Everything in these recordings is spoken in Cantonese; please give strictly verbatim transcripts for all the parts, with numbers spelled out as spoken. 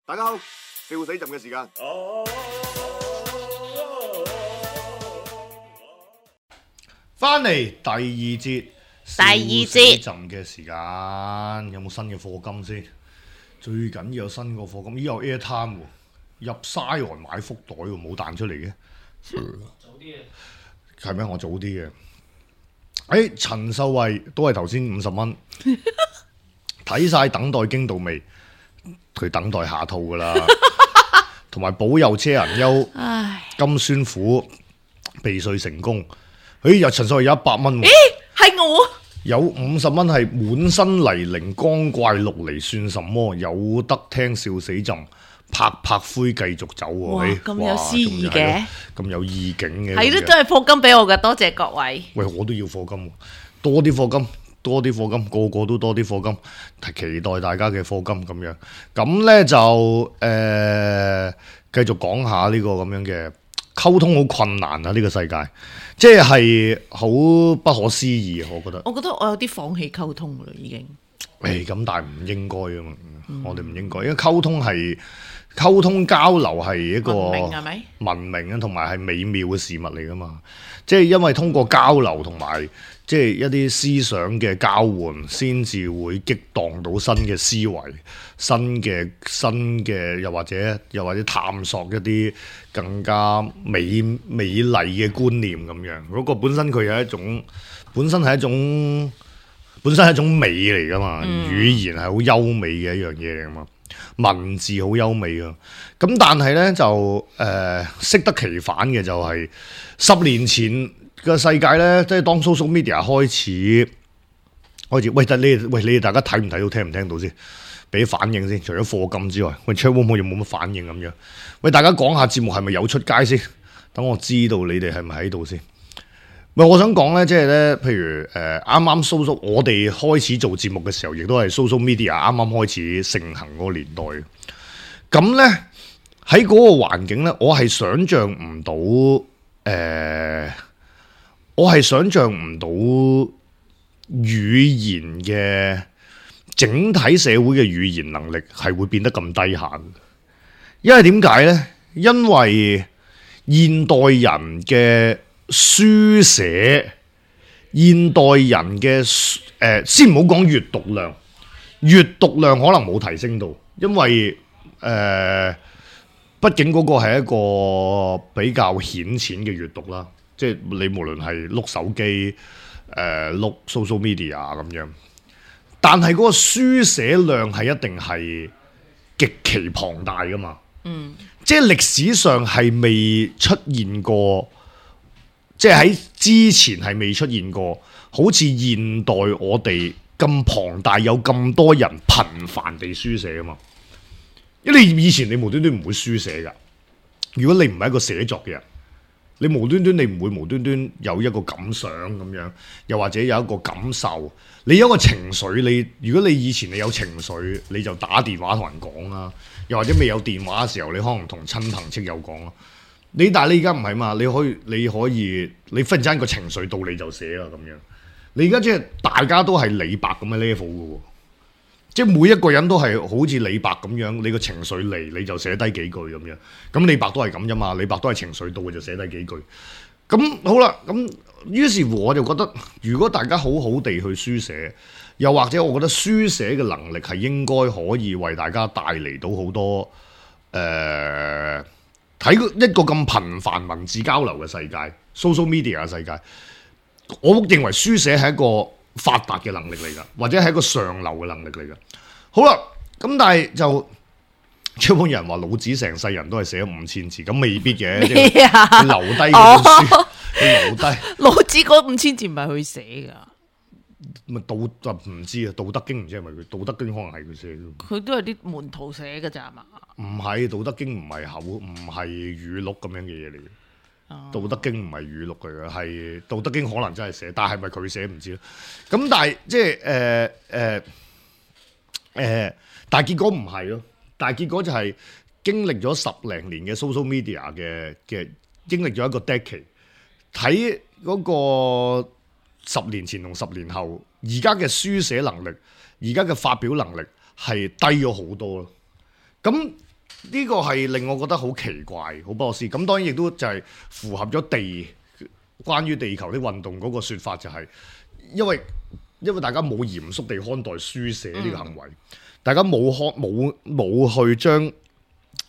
大家好，笑死朕嘅時間。翻嚟第二節，第二節笑死朕嘅時間，有冇新嘅課金先？最緊要有新個課金，咦有 Airtime 喎，入 Zion 買福袋喎，冇彈出嚟嘅。早啲嘅，係咩？我早啲嘅。誒，陳秀慧都係頭先五十蚊，睇晒等待驚到未？佢等待下套噶啦，同埋保佑車人優金酸苦避稅成功。誒，有陳秀慧有一百蚊喎，咦係我有五十蚊係滿身泥濘光怪陸離算什麼？有得聽笑死朕，拍拍灰繼續走喎。哇誒咁有詩意嘅，咁有意境嘅，係咯，咁樣都係課金俾我嘅，多謝各位。喂，我都要課金喎，多啲課金，多啲課金，個個都多啲課金，期待大家嘅課金咁樣。咁呢就誒、呃，繼續講下呢個咁樣嘅溝通好困難啊！呢、呢個世界，即係好不可思議啊！我覺得。我覺得我有啲放棄溝通啦，已經。誒，咁但係唔應該啊嘛，嗯、我哋唔應該，因為溝通係溝通交流係一個文明係咪？文明啊，同埋係美妙嘅事物嚟噶嘛。即係因為通過交流同埋即係一啲思想嘅交換，先至會激盪到新嘅思維、新嘅新嘅，又或者又或者探索一啲更加美美麗嘅觀念咁樣。嗰、嗰個本身佢有一種，本身係一種。本身係一種美嚟噶嘛，嗯、語言係好優美嘅一樣嘢嚟噶嘛，文字好優美噶。咁但係呢，就誒適、呃、得其反嘅就係、是、十年前嘅世界呢，即係當 social media 開始開始，喂，你喂你哋大家睇唔睇到，聽唔聽到先？俾反應先。除咗課金之外，喂 chat room 又冇乜反應咁樣。喂，大家講下節目係咪有出街先？等我知道你哋係咪喺度先。喂，我想講咧，即係咧，譬如誒，啱啱 social，我哋開始做節目嘅時候，亦都係 social media 啱啱開始盛行嗰個年代。咁咧喺嗰個環境咧，我係想像唔到，誒、呃，我係想像唔到語言嘅整體社會嘅語言能力係會變得咁低下。因為點解咧？因為現代人嘅書寫，現代人嘅誒、呃，先唔好講閱讀量，閱讀量可能冇提升到，因為誒、呃，畢竟嗰個係一個比較顯淺嘅閱讀啦，即係你無論係碌手機、誒碌 social media 咁樣，但係嗰個書寫量係一定係極其龐大噶嘛，嗯，即係歷史上係未出現過。即係喺之前係未出現過，好似現代我哋咁龐大，有咁多人頻繁地書寫啊嘛。因為你以前你無端端唔會書寫噶，如果你唔係一個寫作嘅人，你無端端你唔會無端端有一個感想咁樣，又或者有一個感受，你有一個情緒，你如果你以前你有情緒，你就打電話同人講啦，又或者未有電話嘅時候，你可能同親朋戚友講咯。你但係你而家唔係嘛？你可以你可以你忽然之間個情緒到你就寫啦咁樣。你而家即係大家都係李白咁嘅 level 嘅喎，即係每一個人都係好似李白咁樣，你個情緒嚟你就寫低幾句咁樣。咁李白都係咁啫嘛，李白都係情緒到就寫低幾句。咁好啦，咁於是乎我就覺得，如果大家好好地去書寫，又或者我覺得書寫嘅能力係應該可以為大家帶嚟到好多誒。呃喺一個咁頻繁文字交流嘅世界 ，social media 嘅世界，我認為書寫係一個發達嘅能力嚟噶，或者係一個上流嘅能力嚟噶。好啦，咁但係就一般人話老子成世人都係寫咗五千字，咁未必嘅，即係留低嗰本書，佢留低。老子嗰五千字唔係佢寫噶。咪道就唔知啊，《道德經》唔知係咪佢，《道德經》可能係佢寫嘅。佢都係啲門徒寫嘅咋嘛？唔係，《道德經》唔係口，唔係語錄咁樣嘅嘢嚟嘅。哦，《道德經》唔係語錄嚟嘅，係《道德經》可能真係寫，但係咪佢寫唔知咯。咁但係即係誒誒誒，但係結果唔係咯。但係結果就係經歷咗十零年嘅 social media 嘅嘅，經歷咗一個 decade，睇嗰個。十年前同十年後，而家嘅書寫能力，而家嘅發表能力係低咗好多咯。咁呢個係令我覺得好奇怪、好不可思議。咁當然亦都就係符合咗地關於地球的運動嗰個説法，就係因為因為大家冇嚴肅地看待書寫呢個行為，嗯、大家冇看冇冇去將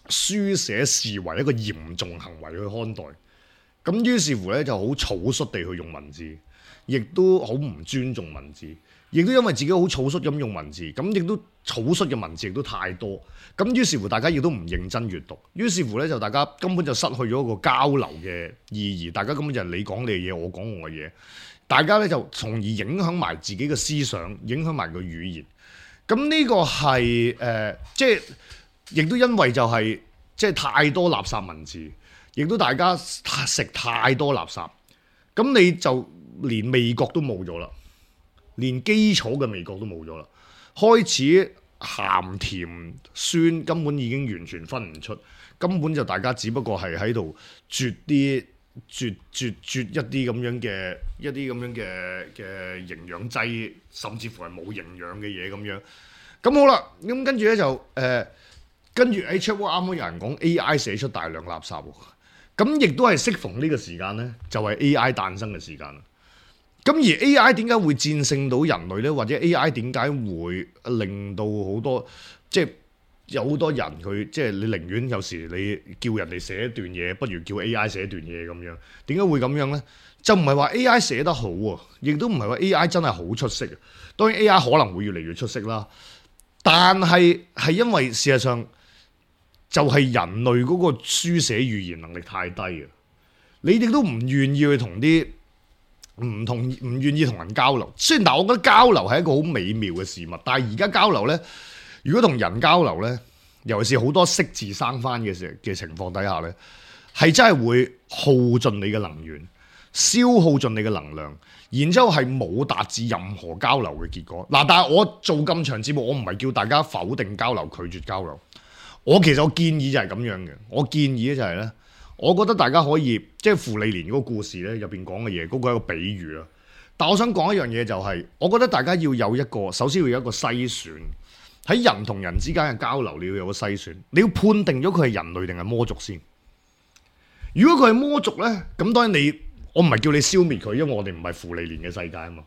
書寫視為一個嚴重行為去看待。咁於是乎咧就好草率地去用文字，亦都好唔尊重文字，亦都因為自己好草率咁用文字，咁亦都草率嘅文字亦都太多，咁於是乎大家亦都唔認真閱讀，於是乎咧就大家根本就失去咗一個交流嘅意義，大家根本就係你講你嘅嘢，我講我嘅嘢，大家咧就從而影響埋自己嘅思想，影響埋個語言。咁呢個係誒、呃，即係亦都因為就係、是、即係太多垃圾文字。亦都大家食太多垃圾，咁你就連味覺都冇咗啦，連基礎嘅味覺都冇咗啦，開始鹹甜酸根本已經完全分唔出，根本就大家只不過係喺度啜啲啜啜啜一啲咁樣嘅一啲咁樣嘅嘅營養劑，甚至乎係冇營養嘅嘢咁樣。咁好啦，咁跟住咧就誒、呃，跟住喺 Chat 啱啱有人講 A I 寫出大量垃圾喎。咁亦都係適逢呢個時間呢，就係 A I 誕生嘅時間啦。咁而 A I 點解會戰勝到人類呢？或者 A I 點解會令到好多即係有好多人佢即係你寧願有時你叫人哋寫一段嘢，不如叫 A I 寫一段嘢咁樣？點解會咁樣呢？就唔係話 A I 寫得好啊，亦都唔係話 A I 真係好出色啊。當然 A I 可能會越嚟越出色啦，但係係因為事實上。就係人類嗰個書寫語言能力太低啊！你哋都唔願意去同啲唔同唔願意同人交流。雖然但我覺得交流係一個好美妙嘅事物，但係而家交流呢，如果同人交流呢，尤其是好多識字生翻嘅時嘅情況底下呢，係真係會耗盡你嘅能源，消耗盡你嘅能量，然之後係冇達至任何交流嘅結果。嗱，但係我做咁長節目，我唔係叫大家否定交流、拒絕交流。我其實我建議就係咁樣嘅，我建議咧就係咧，我覺得大家可以即係芙莉蓮嗰個故事咧入邊講嘅嘢，嗰個係一個比喻啊。但我想講一樣嘢就係，我覺得大家要有一個，首先要有一個篩選，喺人同人之間嘅交流，你要有個篩選，你要判定咗佢係人類定係魔族先。如果佢係魔族咧，咁當然你我唔係叫你消滅佢，因為我哋唔係芙莉蓮嘅世界啊嘛。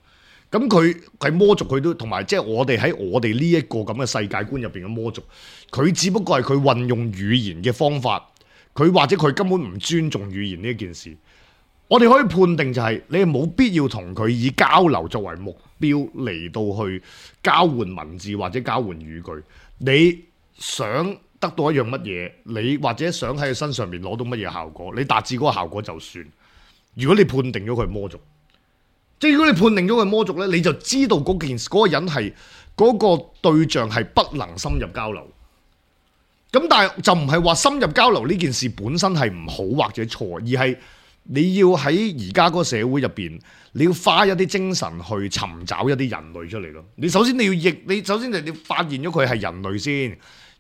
咁佢係魔族，佢都同埋即係我哋喺我哋呢一個咁嘅世界觀入邊嘅魔族，佢只不過係佢運用語言嘅方法，佢或者佢根本唔尊重語言呢一件事。我哋可以判定就係、是、你係冇必要同佢以交流作為目標嚟到去交換文字或者交換語句。你想得到一樣乜嘢，你或者想喺佢身上面攞到乜嘢效果，你達至嗰個效果就算。如果你判定咗佢係魔族。即係如果你判定咗佢魔族咧，你就知道嗰件嗰、嗰個人係嗰、嗰個對象係不能深入交流。咁但係就唔係話深入交流呢件事本身係唔好或者錯，而係你要喺而家嗰個社會入邊，你要花一啲精神去尋找一啲人類出嚟咯。你首先你要譯，你首先就你發現咗佢係人類先，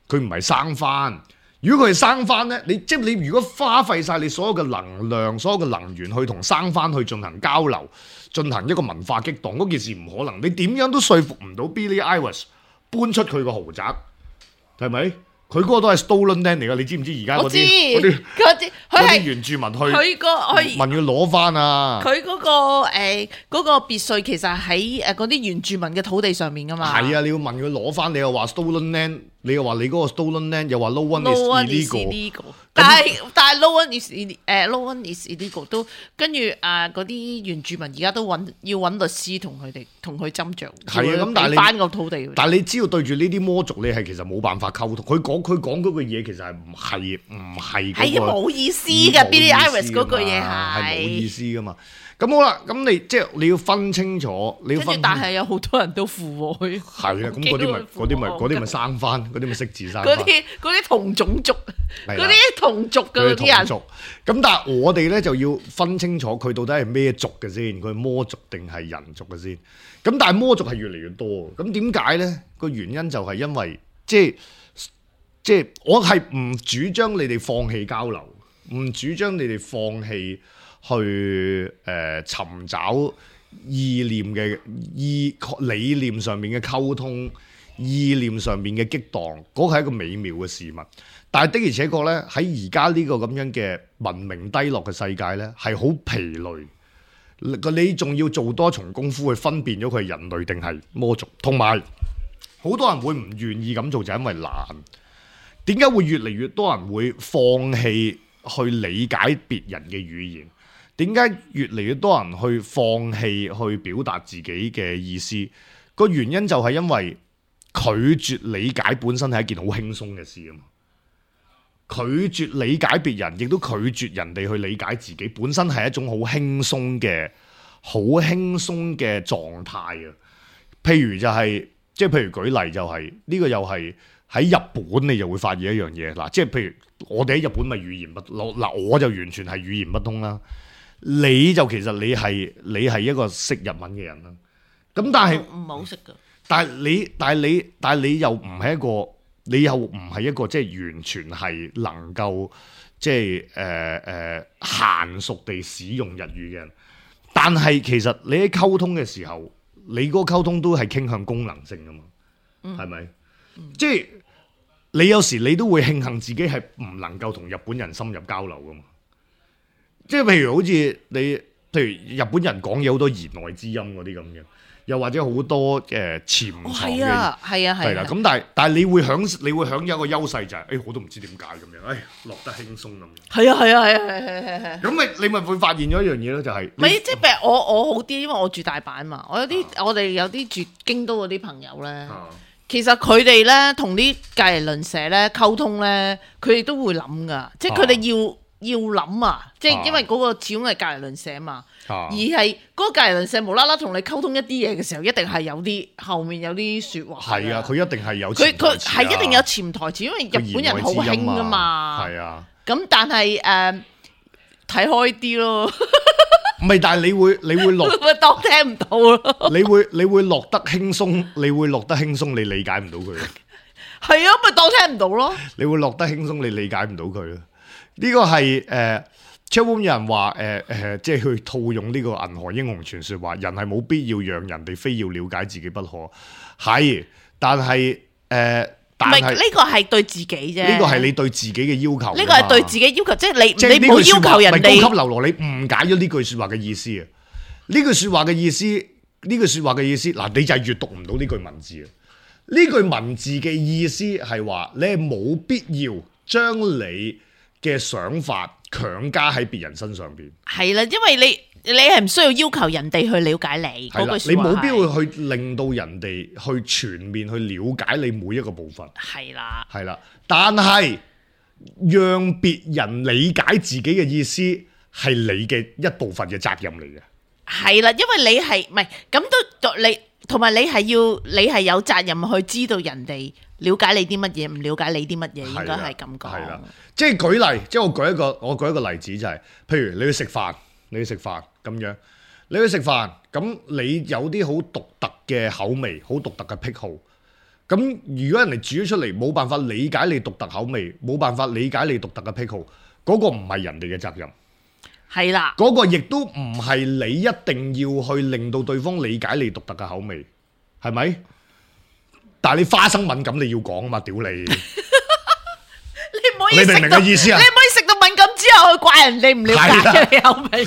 佢唔係生番。如果佢係生番咧，你即係你如果花費晒你所有嘅能量、所有嘅能源去同生番去進行交流、進行一個文化激盪，嗰件事唔可能。你點樣都說服唔到 Billie Eilish 搬出佢個豪宅，係咪？佢嗰個都係 stolen land 嚟㗎，你知唔知而家嗰啲嗰啲嗰啲佢係原住民去佢個佢問佢攞翻啊？佢嗰個誒嗰個別墅其實喺誒嗰啲原住民嘅土地上面㗎嘛。係啊，你要問佢攞翻，你又話 stolen land。你又話你嗰個 stolen land，又話 no one is illegal，但係但係 no one is 誒 no one is illegal 都跟住啊嗰啲原住民而家都揾要揾律師同佢哋同佢斟酌，係啊咁但係翻個土地。但係你知道對住呢啲魔族，你係其實冇辦法溝通。佢講佢講嗰句嘢其實係唔係唔係係冇意思㗎。Billie Eilish 嗰句嘢係係冇意思㗎嘛。咁好啦，咁你即係你要分清楚，你要分清楚。但係有好多人都附和佢。係啊，咁嗰啲咪嗰啲咪嗰啲咪生翻，嗰啲咪識字生翻。嗰啲嗰啲同種族，嗰啲同族嘅嗰啲人。咁但係我哋咧就要分清楚佢到底係咩族嘅先，佢係魔族定係人族嘅先。咁但係魔族係越嚟越多，咁點解咧？個原因就係因為即係即係我係唔主張你哋放棄交流，唔主張你哋放棄。去誒、呃、尋找意念嘅意理念上面嘅溝通，意念上面嘅激盪，嗰個係一個美妙嘅事物。但係的而且確咧，喺而家呢個咁樣嘅文明低落嘅世界咧，係好疲累。你仲要做多重功夫去分辨咗佢係人類定係魔族，同埋好多人會唔願意咁做，就係因為懶。點解會越嚟越多人會放棄去理解別人嘅語言？點解越嚟越多人去放棄去表達自己嘅意思？個原因就係因為拒絕理解本身係一件好輕鬆嘅事啊嘛。拒絕理解別人，亦都拒絕人哋去理解自己，本身係一種好輕鬆嘅、好輕鬆嘅狀態啊。譬如就係、是，即係譬如舉例就係、是、呢、這個又係喺日本，你就會發現一樣嘢嗱，即係譬如我哋喺日本咪語言不嗱，我就完全係語言不通啦。你就其實你係你係一個識日文嘅人啦。咁但係唔係好識㗎。但係你但係你但係你又唔係一個。你又唔係一個即係完全係能夠即係誒誒嫻熟地使用日語嘅人，但係其實你喺溝通嘅時候，你嗰個溝通都係傾向功能性㗎嘛，係咪？嗯、即係你有時你都會慶幸自己係唔能夠同日本人深入交流㗎嘛。即係譬如好似你，譬如日本人講嘢好多言外之音嗰啲咁嘅。又或者好多誒潛藏嘅，係啊係啊係啦。咁但係但係你會享你會享有一個優勢就係、是，誒、哎、我都唔知點解咁樣，誒、哎、落得輕鬆咁樣。係啊係啊係啊係係係係。咁咪你咪會發現咗一樣嘢咯，就係、是。咪即係譬如我我好啲，因為我住大阪嘛。我有啲、啊、我哋有啲住京都嗰啲朋友咧，啊、其實佢哋咧同啲隔離鄰舍咧溝通咧，佢哋都會諗噶，即係佢哋要。啊要諗啊，即係因為嗰個始終係隔離鄰舍嘛，啊、而係嗰個隔離鄰舍無啦啦同你溝通一啲嘢嘅時候，一定係有啲後面有啲説話。係啊，佢一定係有佢佢係一定有潛台詞，因為日本人好興噶嘛。係啊，咁但係誒睇開啲咯。唔係，但係你會你會落，當聽唔到咯。你會你會落得輕鬆，你會落得輕鬆，你理解唔到佢。係啊，咪當聽唔到咯。你會落得輕鬆，你理解唔到佢咯。呢個係誒，出邊有人話誒誒，即係去套用呢個銀河英雄傳說話，人係冇必要讓人哋非要了解自己不可。係，但係誒，但係呢個係對自己啫。呢個係你對自己嘅要求。呢個係對自己要求，即係你即係你冇要求人哋。高級流羅，你誤解咗呢句說話嘅意思啊！呢句說話嘅意思，呢句說話嘅意思，嗱，你就係閱讀唔到呢句文字啊！呢句文字嘅意思係話，你係冇必要將你嘅想法強加喺別人身上邊，係啦，因為你你係唔需要要求人哋去了解你嗰句說話，你冇必要去令到人哋去全面去了解你每一個部分，係啦，係啦，但係讓別人理解自己嘅意思係你嘅一部分嘅責任嚟嘅，係啦，因為你係唔係咁都你同埋你係要你係有責任去知道人哋了解你啲乜嘢，唔了解你啲乜嘢，應該係咁講。係啦，即係舉例，即係我舉一個，我舉一個例子就係、是，譬如你去食飯，你去食飯咁樣，你去食飯，咁你有啲好獨特嘅口味，好獨特嘅癖好，咁如果人哋煮咗出嚟，冇辦法理解你獨特口味，冇辦法理解你獨特嘅癖好，嗰、那個唔係人哋嘅責任。係啦，嗰個亦都唔係你一定要去令到對方理解你獨特嘅口味，係咪？但係你花生敏感你要講啊嘛，屌你！你唔可以你明唔明嘅意思啊？你唔可以食到敏感之後去怪人哋唔了解你口味。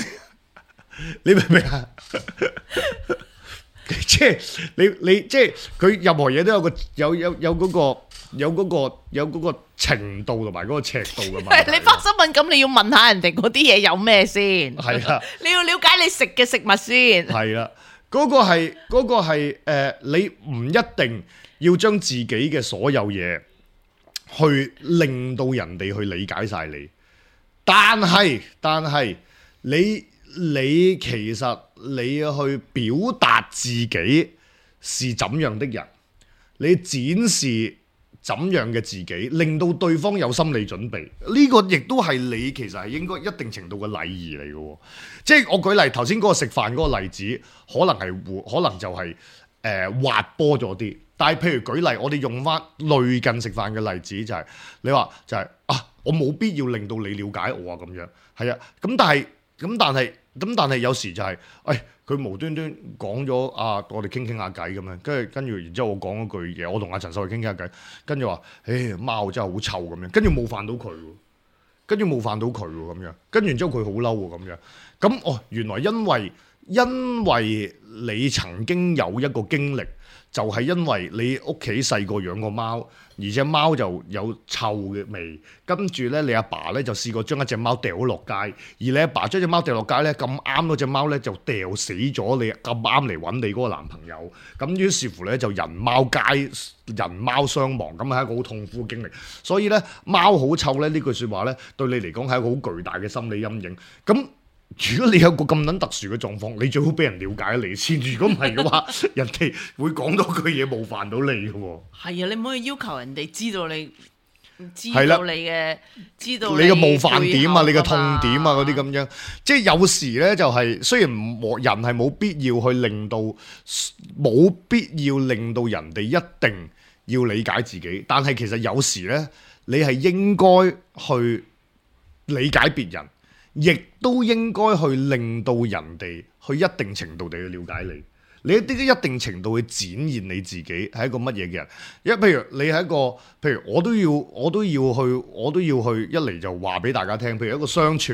你明唔明啊？即係你你即係佢任何嘢都有個有有有嗰個有嗰個有嗰個程度同埋嗰個尺度噶嘛。你花生敏感，你要問下人哋嗰啲嘢有咩先。係啊，你要了解你食嘅食物先。係啦，嗰個係嗰個係誒，你唔一定要將自己嘅所有嘢去令到人哋去理解晒你，但係但係你你其實你去表達自己是怎樣的人，你展示怎樣嘅自己，令到對方有心理準備，呢個亦都係你其實係應該一定程度嘅禮儀嚟嘅。即係我舉例頭先嗰個食飯嗰個例子，可能係可能就係誒滑坡咗啲。但係譬如舉例，我哋用翻類近食飯嘅例子，就係你話就係啊，我冇必要令到你了解我啊咁樣，係啊，咁但係咁但係咁但係有時就係、是，誒、哎、佢無端端講咗啊，我哋傾傾下偈咁樣，跟住跟住，然之後我講嗰句嘢，我同阿陳秀慧傾傾下偈，跟住話，誒貓真係好臭咁樣，跟住冒犯到佢喎，跟住冒犯到佢喎咁樣，跟住然之後佢好嬲喎咁樣，咁哦原來因為因為你曾經有一個經歷。就係因為你屋企細個養個貓，而隻貓就有臭嘅味，跟住咧你阿爸咧就試過將一隻貓掉落街，而你阿爸將隻貓掉落街咧，咁啱嗰隻貓咧就掉死咗你，咁啱嚟揾你嗰個男朋友，咁於是乎咧就人貓皆人貓傷亡，咁係一個好痛苦嘅經歷。所以咧貓好臭咧呢句説話咧對你嚟講係一個好巨大嘅心理陰影。咁如果你有個咁撚特殊嘅狀況，你最好俾人了解你先。如果唔係嘅話，人哋會講到句嘢冒犯到你嘅喎。係啊，你唔可以要求人哋知道你，知道你嘅，知道你嘅冒犯點啊，你嘅痛點啊嗰啲咁樣。即係有時咧就係、是、雖然人係冇必要去令到冇必要令到人哋一定要理解自己，但係其實有時咧你係應該去理解別人。亦都應該去令到人哋去一定程度地去了解你，你一啲一定程度去展現你自己係一個乜嘢嘅人。因為譬如你係一個，譬如我都要我都要去我都要去一嚟就話俾大家聽，譬如一個相處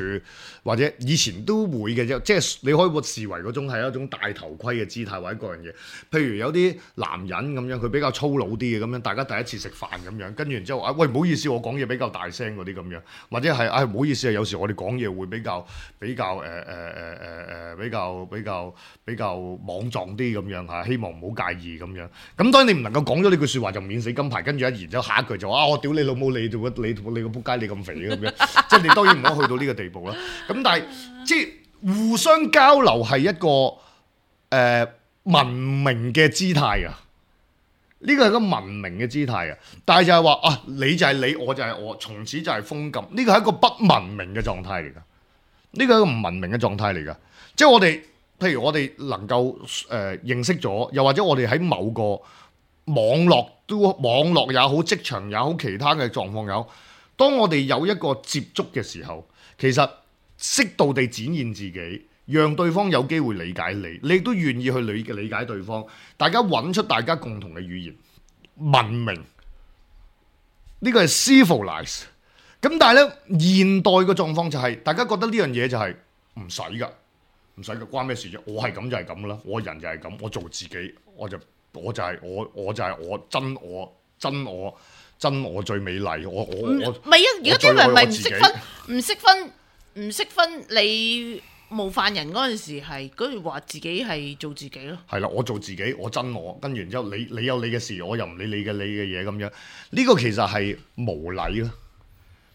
或者以前都會嘅啫，即係你可以視為嗰種係一種戴頭盔嘅姿態或者各樣嘢。譬如有啲男人咁樣，佢比較粗魯啲嘅咁樣，大家第一次食飯咁樣，跟住然之後啊，喂唔好意思，我講嘢比較大聲嗰啲咁樣，或者係啊唔好意思啊，有時我哋講嘢會比較比較誒誒誒誒誒比較比較比較莽撞啲咁樣嚇，希望唔好介意咁樣。咁當然你唔能夠講咗呢句説話就免死金牌，跟住一然之後下一句就話啊我屌你老母，你做乜你你個仆街你咁肥咁樣，即係你當然唔可以去到呢個地步啦。咁但係即係互相交流係一個誒、呃、文明嘅姿態啊，呢個係一個文明嘅姿態啊。但係就係話啊，你就係你，我就係我，從此就係封禁。呢個係一個不文明嘅狀態嚟㗎，呢個係一個唔文明嘅狀態嚟㗎。即係我哋，譬如我哋能夠誒、呃、認識咗，又或者我哋喺某個網絡都網絡也好，職場也好，其他嘅狀況也好，當我哋有一個接觸嘅時候，其實適度地展現自己，讓對方有機會理解你，你亦都願意去理理解對方，大家揾出大家共同嘅語言，文明呢個係 civilize。咁但係咧，現代嘅狀況就係、是、大家覺得呢樣嘢就係唔使㗎，唔使㗎，關咩事啫？我係咁就係咁啦，我人就係咁，我做自己，我就我就係、是、我，我就係我真我真我真我最美麗，我我我唔係啊！而家啲人咪唔識分，唔識分，唔識分你冒犯人嗰陣時係嗰句話自己係做自己咯。係啦，我做自己，我真我，跟住然之後你你有你嘅事，我又唔理你嘅你嘅嘢咁樣，呢、這個其實係無禮咯。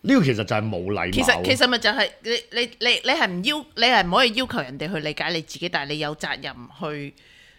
呢、這個其實就係冇禮貌。其實其實咪就係你你你你係唔要，你係唔可以要求人哋去理解你自己，但係你有責任去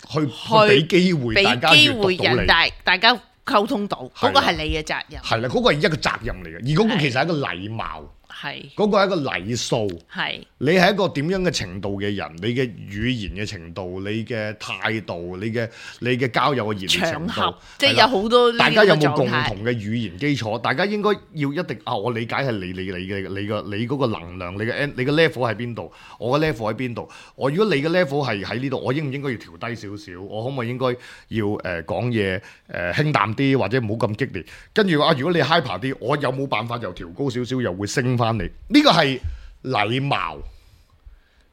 去去俾機會大家閱讀到你，俾機會人大大家溝通到，嗰、那個係你嘅責任。係啦，嗰、那個係一個責任嚟嘅，而嗰個其實係一個禮貌。係嗰個係一個禮數，係你係一個點樣嘅程度嘅人，你嘅語言嘅程度，你嘅態度，你嘅你嘅交友嘅熱烈程度，即係有好多大家有冇共同嘅語言基礎？大家應該要一定啊！我理解係你你你嘅你個你嗰個能量，你嘅你嘅 level 喺邊度？我嘅 level 喺邊度？我如果你嘅 level 係喺呢度，我應唔應該要調低少少？我可唔可以應該要誒講嘢誒輕淡啲，或者唔好咁激烈？跟住啊，如果你 hyper 啲，我有冇辦法又調高少少，又會升翻？呢個係禮貌，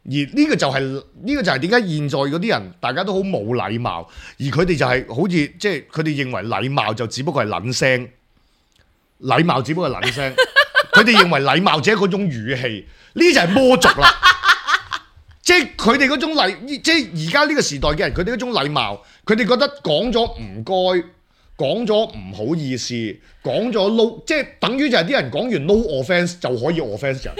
而呢個就係、是、呢、呢個就係點解現在嗰啲人大家都好冇禮貌，而佢哋就係好似即係佢哋認為禮貌就只不過係撚聲，禮貌只不過係撚聲，佢哋認為禮貌只係嗰種語氣，呢就係魔族啦。即係佢哋嗰種禮，即係而家呢個時代嘅人，佢哋嗰種禮貌，佢哋覺得講咗唔該。講咗唔好意思，講咗 no， 即係等於就係啲人講完 no offence 就可以 offence 人。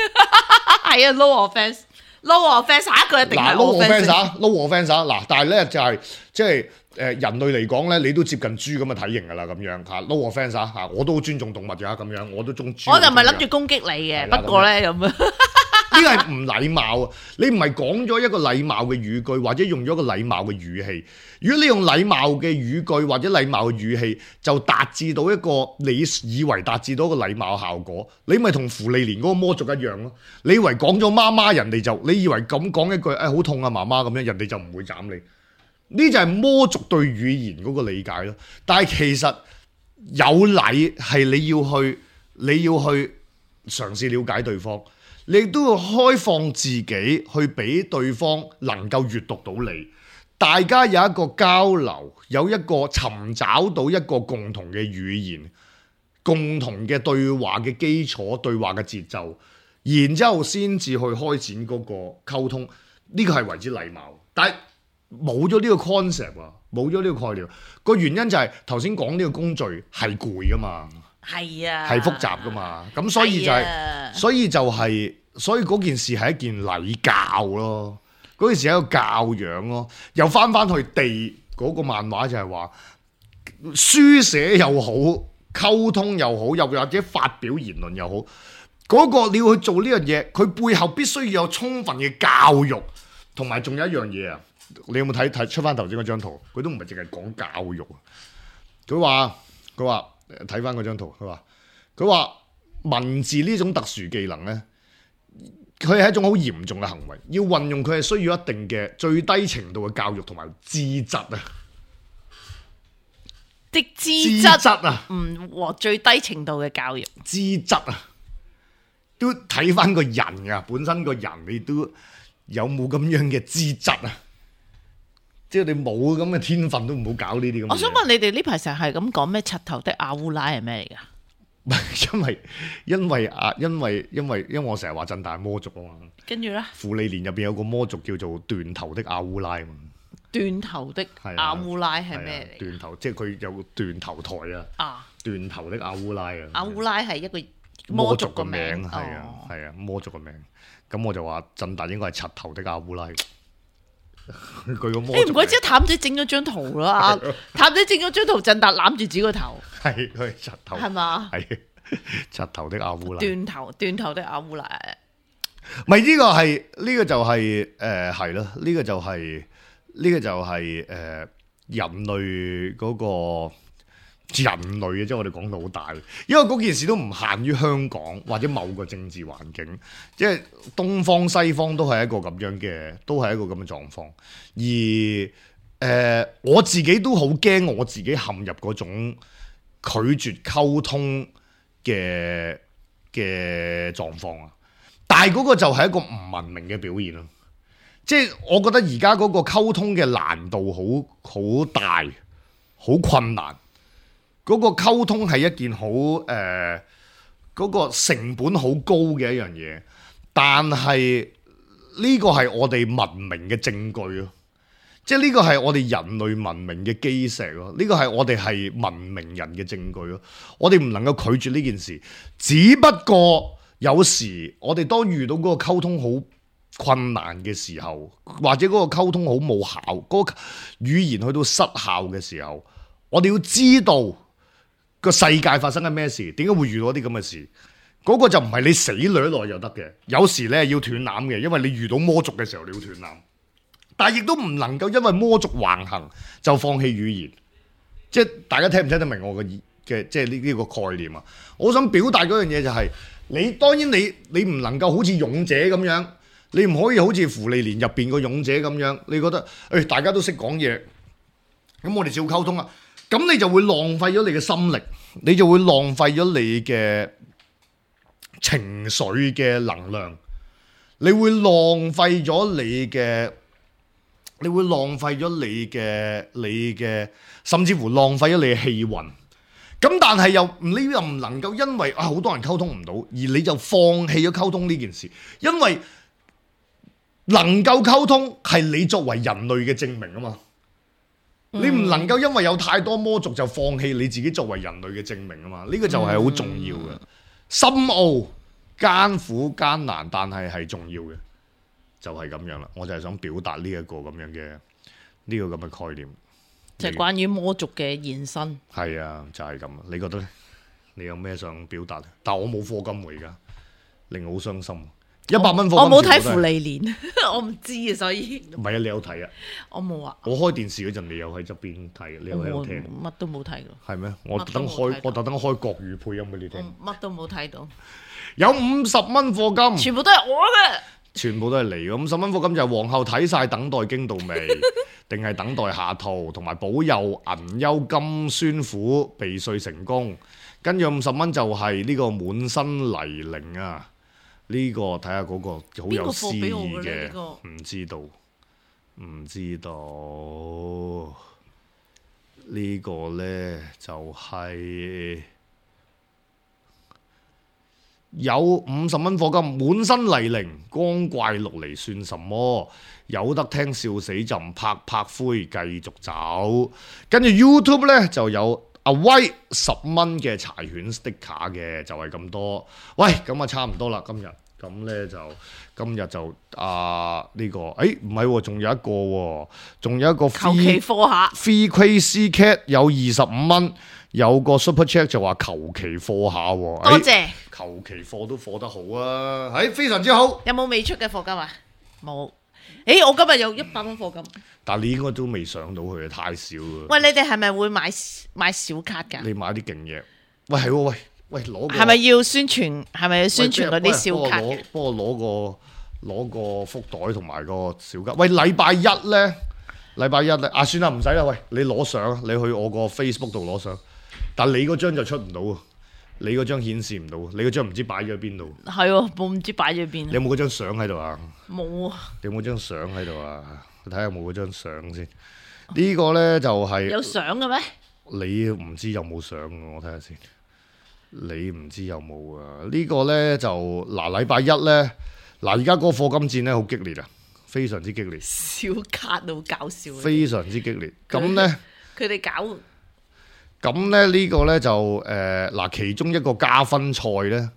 係啊 no offence，no offence， 下一句一定係 no offence 啊 no offence 啊嗱，但係咧就係即係誒人類嚟講咧，你都接近豬咁嘅體型㗎啦，咁樣嚇 no offence 啊嚇，我都好尊重動物㗎咁樣，我都中豬。我就唔係諗住攻擊你嘅，不過咧咁啊。呢個係唔禮貌啊！你唔係講咗一個禮貌嘅語句，或者用咗一個禮貌嘅語氣。如果你用禮貌嘅語句或者禮貌嘅語氣，就達至到一個你以為達至到一個禮貌效果，你咪同芙莉蓮嗰個魔族一樣咯。你以為講咗媽媽，人哋就你以為咁講一句，誒、哎、好痛啊媽媽咁樣，人哋就唔會斬你。呢就係魔族對語言嗰個理解咯。但係其實有禮係你要去，你要去嘗試了解對方，你都要開放自己去俾對方能夠閱讀到你。大家有一個交流，有一個尋找到一個共同嘅語言，共同嘅對話嘅基礎，對話嘅節奏，然之後先至去開展嗰個溝通。呢個係為之禮貌，但係冇咗呢個 concept 啊，冇咗呢個概念。個原因就係頭先講呢個工序係攰噶嘛，係啊，係複雜噶嘛，咁所以就係、啊，所以就係、是，所以嗰件事係一件禮教咯，嗰件事係一個教養咯。又翻翻去地嗰個漫畫就係話，書寫又好，溝通又好，又或者發表言論又好，嗰、那個你要去做呢樣嘢，佢背後必須要有充分嘅教育，同埋仲有一樣嘢啊！你有冇睇睇出翻頭先嗰張圖？佢都唔係淨係講教育啊！佢話佢話睇翻嗰張圖，佢話佢話文字呢種特殊技能咧，佢係一種好嚴重嘅行為，要運用佢係需要一定嘅最低程度嘅教育同埋資質啊！的資質啊，唔和最低程度嘅教育資質啊，都睇翻個人啊，本身個人你都有冇咁樣嘅資質啊？即係你冇咁嘅天分都唔好搞呢啲咁。我想問你哋呢排成日係咁講咩？柒頭的阿烏拉係咩嚟㗎？唔係因為因為啊因為因為因為我成日話鎮大魔族啊嘛。跟住咧，芙莉蓮入邊有個魔族叫做斷頭的阿烏拉啊嘛。斷頭的阿烏拉係咩嚟？斷頭即係佢有斷頭台啊。啊。斷頭的阿烏拉啊。阿烏拉係一個魔族個名，係啊係啊魔族個名。咁我就話鎮大應該係柒頭的阿烏拉。佢個魔，誒唔怪之譚仔整咗張圖啦，譚仔整咗張圖，鎮達攬住自己個頭，係佢柒頭，係嘛？係柒頭的阿烏拉，斷頭斷頭的阿烏拉，咪呢個係呢個就係誒係咯，呢個就係呢個就係誒人類嗰個。人類嘅，即係我哋講到好大，因為嗰件事都唔限於香港或者某個政治環境，即係東方西方都係一個咁樣嘅，都係一個咁嘅狀況。而誒、呃，我自己都好驚我自己陷入嗰種拒絕溝通嘅嘅狀況啊！但係嗰個就係一個唔文明嘅表現咯。即係我覺得而家嗰個溝通嘅難度好好大，好困難。嗰個溝通係一件好誒，嗰個成本好高嘅一樣嘢，但係呢個係我哋文明嘅證據咯，即係呢個係我哋人類文明嘅基石咯，呢個係我哋係文明人嘅證據咯，我哋唔能夠拒絕呢件事，只不過有時我哋當遇到嗰個溝通好困難嘅時候，或者嗰個溝通好冇效，嗰個語言去到失效嘅時候，我哋要知道個世界發生緊咩事？點解會遇到啲咁嘅事？嗰、那個就唔係你死掠落就得嘅。有時咧要斷纜嘅，因為你遇到魔族嘅時候你要斷纜。但係亦都唔能夠因為魔族橫行就放棄語言。即係大家聽唔聽得明我嘅嘅即係呢呢個概念啊？我想表達嗰樣嘢就係、是、你當然你你唔能夠好似勇者咁樣，你唔可以好似芙莉蓮入邊個勇者咁樣。你覺得誒、哎、大家都識講嘢，咁我哋照溝通啊？咁你就會浪費咗你嘅心力，你就會浪費咗你嘅情緒嘅能量，你會浪費咗你嘅，你會浪費咗你嘅，你嘅，甚至乎浪費咗你嘅氣運。咁但係又你又唔能夠因為啊好多人溝通唔到，而你就放棄咗溝通呢件事，因為能夠溝通係你作為人類嘅證明啊嘛。你唔能夠因為有太多魔族就放棄你自己作為人類嘅證明啊嘛，呢、這個就係好重要嘅，深奧、艱苦、艱難，但係係重要嘅，就係、是、咁樣啦。我就係想表達呢一個咁樣嘅呢、這個咁嘅概念，就係關於魔族嘅延伸。係啊，就係、是、咁。你覺得咧？你有咩想表達？但我冇課金喎，而家令我好傷心。一百蚊課金我冇睇全部都係芙莉蓮，我唔知啊，所以唔係啊，你有睇啊？我冇啊，我開電視嗰陣，你有喺側邊睇，你有喺度我聽。乜都冇睇到，係咩？我特登乜都冇睇到，開我特登開國語配音俾你聽。我乜都冇睇到，有五十蚊課金，全部都係我嘅。全部都係嚟嘅。五十蚊課金就係皇后睇晒等待經度未，定係等待下套，同埋保佑銀優金宣府避稅成功。跟住五十蚊就係呢個滿身泥濘啊！呢、個睇下嗰個好有詩意邊個課俾我嘅呢嘅，呢個唔知道，唔知道。呢個呢，就係、有五十蚊課金，滿身泥濘，光怪陸離算什麼？有得聽笑死朕，拍拍灰繼續走。跟住 YouTube 呢，就有阿威十蚊嘅柴犬 sticker 嘅，就係、咁多。喂，咁啊差唔多啦，今日咁呢，就今日就啊呢、個，誒唔係喎，仲有一個喎，仲有一個求其課下， Free Crazy Cat 有二十五蚊，有個 Super Chat 就話求其課下喎，多謝。求其課都課得好啊，係非常之好。有冇未出嘅課金啊？冇。誒，我今日有一百蚊課金。但係你應該都未上到去，太少啦。喂，你哋係咪會買買小卡㗎？你買啲勁嘢。喂，係喎，喂喂攞個係咪要宣傳？係咪要宣傳嗰啲小卡嘅？喂幫我攞個攞個福袋同埋個小卡。喂，禮拜一咧，禮拜一咧，啊算啦，唔使啦。喂，你攞相，你去我個 Facebook 度攞相。但你嗰張就出唔到啊！你嗰張顯示唔到，你嗰張唔知擺咗喺邊度。係喎，冇唔知擺咗邊。你有冇嗰張相喺度啊？冇啊！你有冇張相喺度啊？睇下有冇嗰張相先。呢個呢就係有相嘅咩？你唔知有冇相嘅，我睇下先。你唔知有冇啊？呢個呢就嗱禮拜一呢，嗱而家嗰個課金戰呢好激烈啊，非常之激烈。小卡都好搞笑。非常之激烈。咁呢，佢哋搞。咁咧呢個呢就誒嗱、呃，其中一個加分賽呢，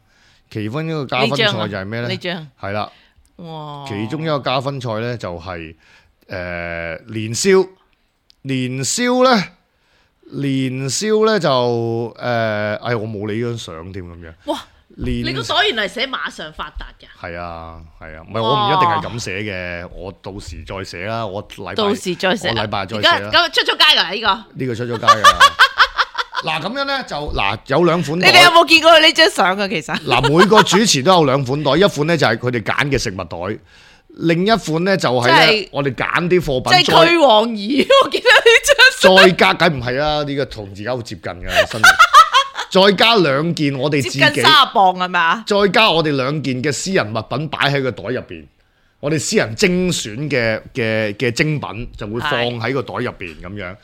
其中一個加分賽就係咩呢？呢張係啦，哇！其中一個加分賽呢，就係、是、誒、呃、年宵，年宵呢，年宵呢就誒，哎我冇你張相添咁樣。哇！年你個袋原來寫馬上發達㗎？係啊係啊，唔係我唔一定係咁寫嘅，我到時再寫啦。我禮拜到時再寫，我禮拜再寫啦。咁出咗街㗎呢個？呢個出咗街㗎。嗱咁樣咧就嗱有兩款袋，你哋有冇見過佢呢張相啊？其實嗱每個主持都有兩款袋，一款咧就係佢哋揀嘅食物袋，另一款咧就係咧我哋揀啲貨品。即係驅王儀，我見到呢張再加梗唔係啦，呢個同而家好接近嘅身形。再加兩件我哋自己接近三十磅係嘛？再加我哋兩件嘅私人物品擺喺個袋入邊，我哋私人精選嘅嘅嘅精品就會放喺個袋入邊咁樣。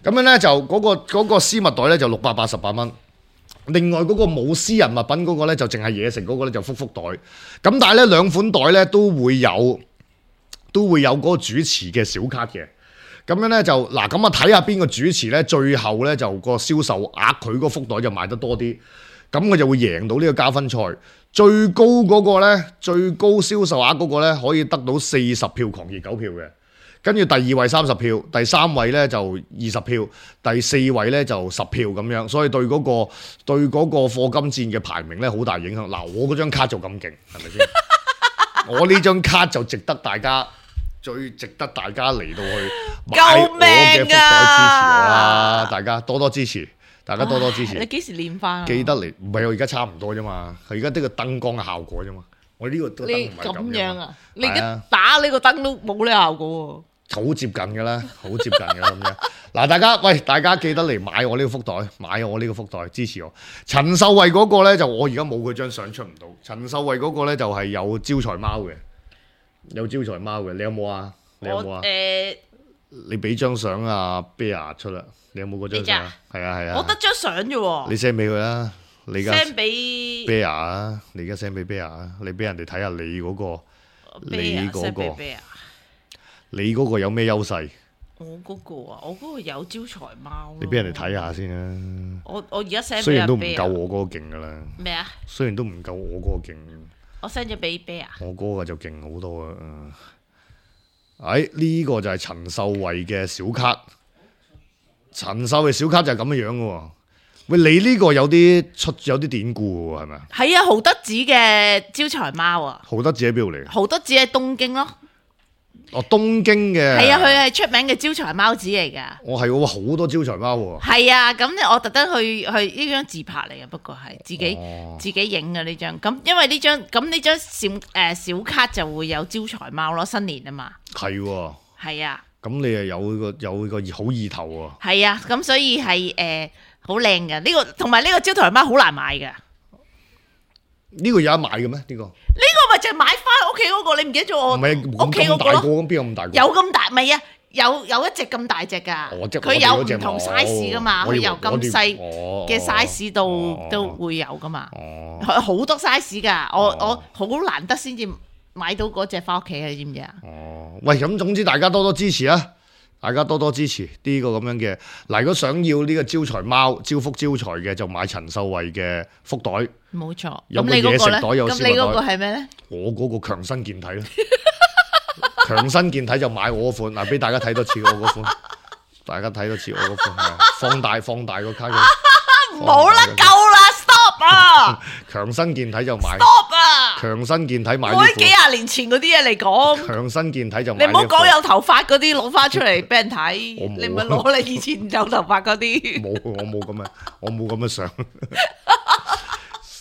咁樣咧就嗰、嗰個嗰個絲襪袋咧就六百八十八蚊，另外嗰個冇私人物品嗰個咧就淨係嘢食嗰個咧就福福袋。咁但係咧兩款袋咧都會有都會有嗰個主持嘅小卡嘅。咁樣咧就嗱咁啊睇下邊個主持咧最後咧就個銷售額佢嗰福袋就賣得多啲，咁佢就會贏到呢個加分賽。最高嗰個咧最高銷售額嗰個咧可以得到四十票狂熱狗票嘅。跟住第二位三十票，第三位咧就二十票，第四位咧就十票咁樣，所以對嗰、嗰個對嗰個課金戰嘅排名咧好大影響。嗱，我嗰張卡就咁勁，係咪先？我呢張卡就值得大家最值得大家嚟到去買我嘅福袋支持我啦！大家多多支持，大家多多支持。你幾時練翻？記得嚟，唔係我而家差唔多啫嘛，佢而家得個燈光嘅效果啫嘛。我呢個燈唔係咁樣啊！你而家打呢個燈都冇呢個效果喎，好接近㗎啦，好接近㗎咁樣。嗱，大家喂，大家記得嚟買我呢個福袋，買我呢個福袋支持我。陳秀慧嗰個咧就我而家冇佢張相出唔到。陳秀慧嗰個咧就係有招財貓嘅，有招財貓嘅。你有冇啊？你有冇啊？誒，你俾張相啊 Bear 出啦。你有冇嗰張相？係啊係啊。我得張相啫喎。你 send 俾佢啦。你而家 send 俾 Bear 啊！你而家 send 俾 Bear 啊！你俾人哋睇下你嗰個，你嗰個，你嗰個有咩優勢？我嗰個啊，我嗰個有招財貓。你俾人哋睇下先啦。我我而家 send 雖然都唔夠我嗰個勁噶啦。咩啊？雖然都唔夠我嗰個勁。我 send 咗俾 Bear。我嗰個就勁好多啊！哎，呢個就係陳秀慧嘅小卡。陳秀慧小卡就係咁樣樣嘅喎。喂，你呢個有啲出有啲典故喎，係咪啊？係啊，豪德寺嘅招財貓啊，豪德寺喺邊度嚟？豪德寺喺東京咯。哦，東京嘅。係啊，佢係出名嘅招財貓子嚟㗎。我係喎，好多招財貓喎。係啊，咁咧我特登去去呢張自拍嚟嘅，不過係自己、哦、自己影嘅呢張。咁因為呢張咁呢張小誒、呃、小卡就會有招財貓咯，新年啊嘛。係喎。係啊。咁你又有個有個好意頭喎。係啊，咁所以係誒好靚嘅呢個，同埋呢個招財貓好難買㗎。呢個有得買嘅咩？呢、呢個呢個咪就係買翻屋企嗰個，你唔記得咗我屋企嗰個咯？咁邊有咁大個？有咁大咪啊？有有一隻咁大隻㗎，佢、哦、有唔同 size 㗎嘛？佢由咁細嘅 size 到、哦、都會有㗎嘛？好、哦、多 size 㗎，我、哦、我好難得先至買到嗰隻翻屋企啊！你知唔知啊？哦，喂，咁總之大家多多支持啊！大家多多支持呢個咁樣嘅嗱，如果想要呢個招財貓招福招財嘅，就買陳秀慧嘅福袋。冇錯。有冇嘢食袋？有咁你嗰個係咩咧？我嗰個強身健體咯，強身健體就買我嗰款嗱，俾大家睇多次我嗰款，大家睇多次我嗰款，放大放大個卡嘅。唔好啦，夠啦 ，stop 啊！強身健體就買 ，stop 啊！強身健體買。我啲幾廿年前嗰啲嘢嚟講，強身健體就買。你唔好講有頭髮嗰啲攞翻出嚟俾人睇，你唔係攞你以前有頭髮嗰啲。冇，我冇咁嘅，我冇咁嘅相。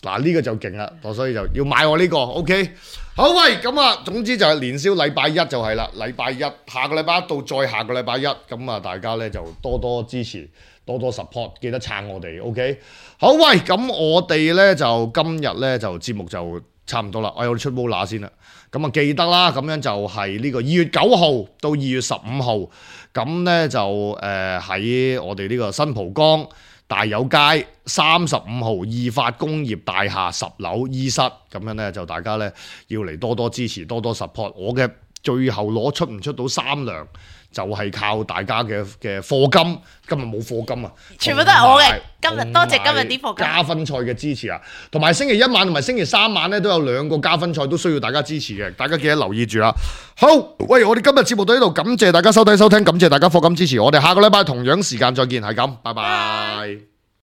嗱呢個就勁啦，所以就要買我呢個 ，OK。好喂，咁啊，總之就係年宵禮拜一就係啦，禮拜一下個禮拜一到再下個禮拜一，咁啊大家咧就多多支持，多多 support，記得撐我哋 ，OK。好喂，咁我哋咧就今日咧就節目就差唔多啦，我有出 Mola 先啦，咁啊記得啦，咁樣就係呢個二月九號到二月十五號，咁咧就誒喺、呃、我哋呢個新蒲崗大有街三十五號義發工業大廈十樓 E 室，咁樣咧就大家咧要嚟多多支持，多多 support。我嘅最後攞出唔出到三糧，就係、是、靠大家嘅嘅課金。今日冇課金啊，全部都係我嘅。今日多謝今日啲課金。加分賽嘅支持啊，同埋星期一晚同埋星期三晚咧都有兩個加分賽，都需要大家支持嘅。大家記得留意住啦。好，喂，我哋今日節目到呢度，感謝大家收睇收聽，感謝大家課金支持。我哋下個禮拜同樣時間再見，係咁，拜拜。